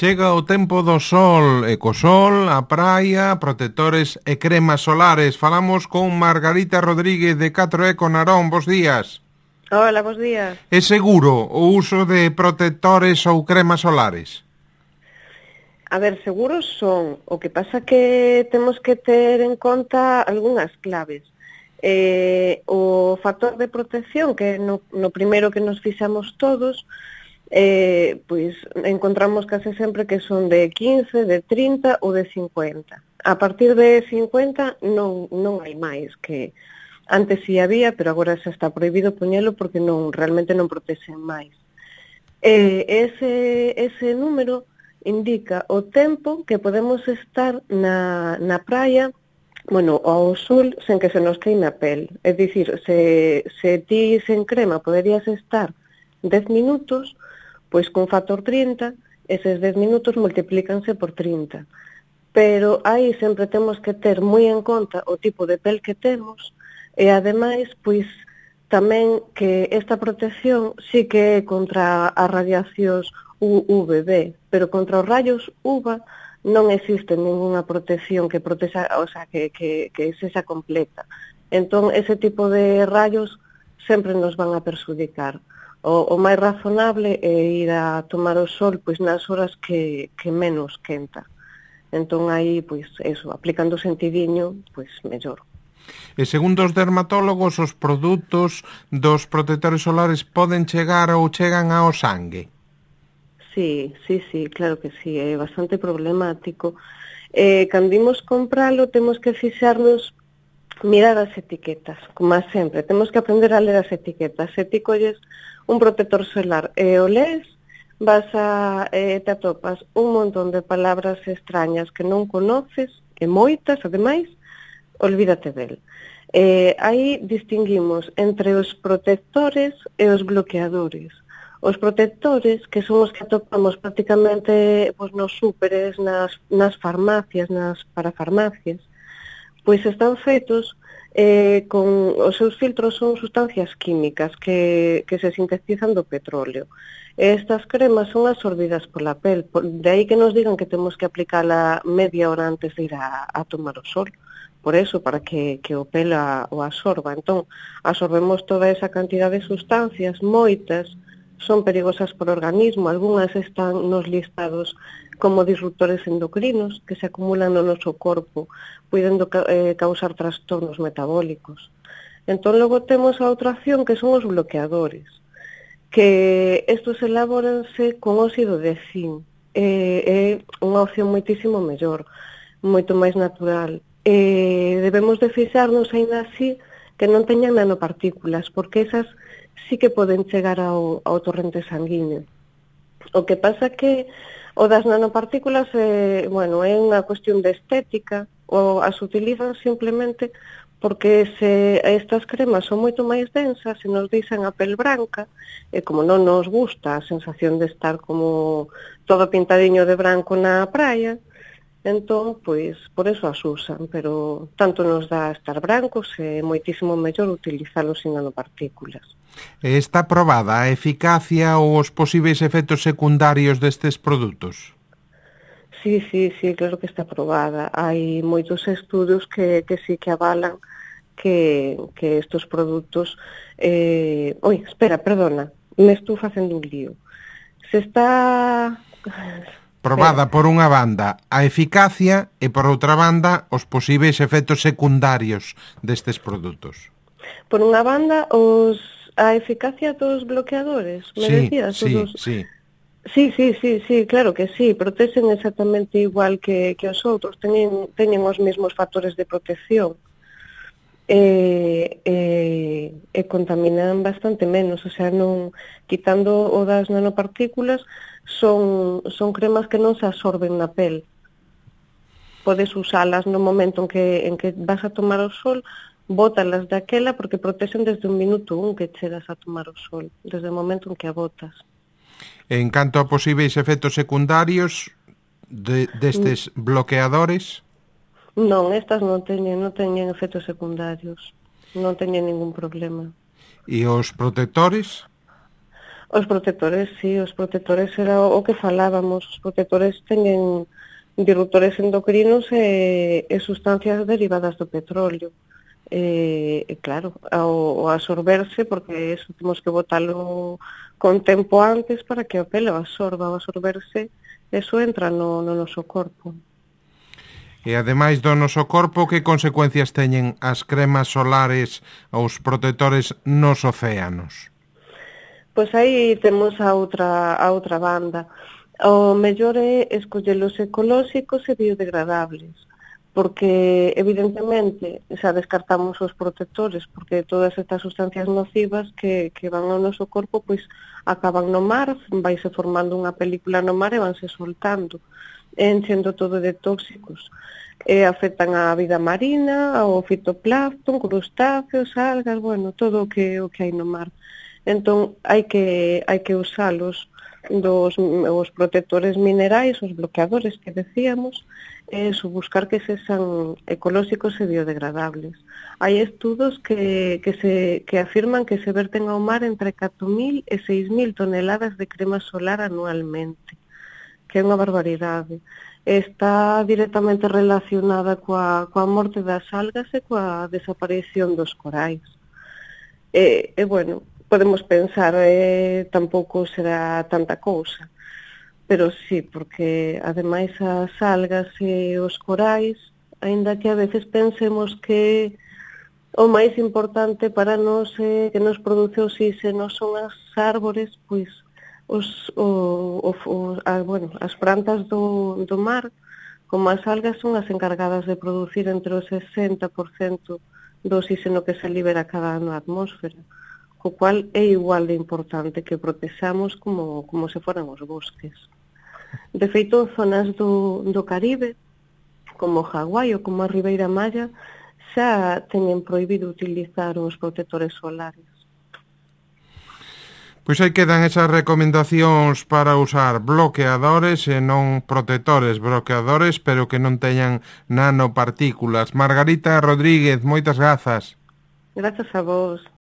Chega o tempo do sol e co sol, a praia, protectores e cremas solares. Falamos con Margarita Rodríguez de 4Eco Narón. Bos días. Hola, bos días. É seguro o uso de protectores ou cremas solares? A ver, seguros son. O que pasa que temos que ter en conta algunhas claves. O factor de protección, que no primeiro que nos fixamos todos, pois encontramos case sempre que son de 15, de 30 ou de 50. A partir de 50 non hai máis, que antes si había, pero agora xa está prohibido poñelo porque realmente non protexen máis. Ese número indica o tempo que podemos estar na praia, ao sol, sen que se nos queime a pel. É dicir, se ti sen crema poderías estar 10 minutos, pois con factor 30, eses 10 minutos multiplícanse por 30. Pero aí sempre temos que ter moi en conta o tipo de pel que temos e, ademais, pois, tamén que esta protección sí que é contra as radiacións UVB, pero contra os rayos UVA non existe ninguna protección que protexa, o sea, que sexa completa. Entón, ese tipo de rayos sempre nos van a perxudicar. O máis razonable é ir a tomar o sol pois nas horas que menos quenta. Entón, aí, pois, eso, aplicando o sentidiño, pois, mellor. E segundo os dermatólogos, os produtos dos protectores solares poden chegar ou chegan ao sangue? Sí, claro que sí, é bastante problemático. Cando imos compralo, temos que fixarnos, mirar as etiquetas, como sempre. Temos que aprender a ler as etiquetas. Se ti colles un protector solar e o lees, te atopas un montón de palabras extrañas que non conoces, e moitas, ademais, olvídate del. Aí distinguimos entre os protectores e os bloqueadores. Os protectores, que son os que atopamos prácticamente nos súperes, nas farmacias, nas parafarmacias, pois están feitos con os seus filtros, son sustancias químicas que se sintetizan do petróleo. Estas cremas son absorbidas pola pel, de aí que nos digan que temos que aplicala media hora antes de ir a tomar o sol. Por eso, para que o pel o absorba. Entón, absorbemos toda esa cantidad de sustancias, moitas son perigosas por organismo, algunhas están nos listados como disruptores endocrinos que se acumulan no noso corpo, podendo causar trastornos metabólicos. Entón, logo temos a outra acción que son os bloqueadores, que estos elabóranse con óxido de zinc. É unha opción moitísimo mellor, moito máis natural. Debemos de fixarnos aínda así que non teñan nanopartículas, porque esas sí que poden chegar ao torrente sanguíneo. O que pasa que o das nanopartículas é unha cuestión de estética, ou as utilizan simplemente porque se estas cremas son moito máis densas, se nos deixan a pel branca, e como non nos gusta a sensación de estar como todo pintadiño de branco na praia, entón, pois, por eso as usan, pero tanto nos dá estar brancos e moitísimo mellor utilizalos sin nanopartículas. Está probada a eficacia ou os posíveis efectos secundarios destes produtos? Sí, claro que está probada. Hai moitos estudos que sí que avalan que estos produtos... perdona, me estou facendo un lío. Se está... Probada por unha banda a eficacia e por outra banda os posíveis efectos secundarios destes produtos. Por unha banda, a eficacia dos bloqueadores, me decías? Sí. Sí, claro que sí, protexen exactamente igual que os outros, teñen os mesmos factores de protección e contaminan bastante menos, o sea, non quitando o das nanopartículas, son cremas que non se absorben na pel. Podes usalas no momento en que vas a tomar o sol, bótalas daquela porque protexen desde un minuto que chegas a tomar o sol, desde o momento en que a botas. En canto a posíveis efectos secundarios destes bloqueadores? Non, estas non teñen efectos secundarios, non teñen ningún problema. E os protectores? Os protectores, sí, os protectores era o que falábamos. Os protectores teñen disruptores endocrinos e sustancias derivadas do petróleo. E claro, ao absorberse, porque eso temos que botalo con tempo antes para que o pelo absorba. Ao absorberse, eso entra no noso corpo. E ademais do noso corpo, que consecuencias teñen as cremas solares ou os protectores nos océanos? Pois aí temos a outra banda. O mellor é escollelos ecolóxicos e biodegradables, porque evidentemente xa descartamos os protectores, porque todas estas sustancias nocivas que van ao noso corpo pois acaban no mar, vaise formando unha película no mar e vanse soltando, enchendo todo de tóxicos. E afectan a vida marina, ao fitoplancton, crustáceos, algas, bueno, todo o que hai no mar. Entón, hai que usalos os protectores minerais, os bloqueadores que decíamos, buscar que sexan ecolóxicos e biodegradables. Hai estudos que afirman que se verten ao mar entre 4.000 e 6.000 toneladas de crema solar anualmente, que é unha barbaridade. Está directamente relacionada coa morte das algas e coa desaparición dos corais. Bueno, podemos pensar, tampouco será tanta cousa, pero sí, porque ademais as algas e os corais, aínda que a veces pensemos que o máis importante para nós que nos produce oxígeno son as árbores, pois as plantas do mar, como as algas, son as encargadas de producir entre o 60% do oxígeno que se libera cada ano á atmósfera, co cual é igual de importante que protexamos como se foran os bosques. De feito, en zonas do Caribe, como Hawái ou como a Ribeira Maya, xa teñen prohibido utilizar os protectores solares. Pois aí quedan esas recomendacións para usar bloqueadores e non protectores, bloqueadores, pero que non teñan nanopartículas. Margarita Rodríguez, moitas grazas. Grazas a vos.